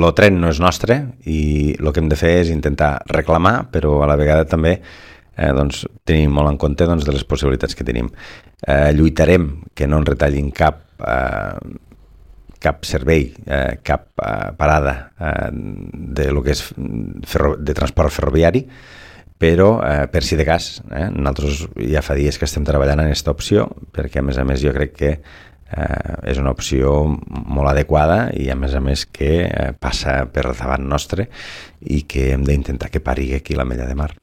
el tren no és nostre i el que hem de fer és intentar reclamar, però a la vegada també doncs, tenim molt en compte doncs, de les possibilitats que tenim. Lluitarem que no ens retallin cap servei, cap parada de lo que és de transport ferroviari, però per si de cas, nosaltres ja fa dies que estem treballant en aquesta opció, perquè a més jo crec que és una opció molt adequada i a més que passa per davant nostre i que hem d'intentar que pari aquí la Mella de Mar.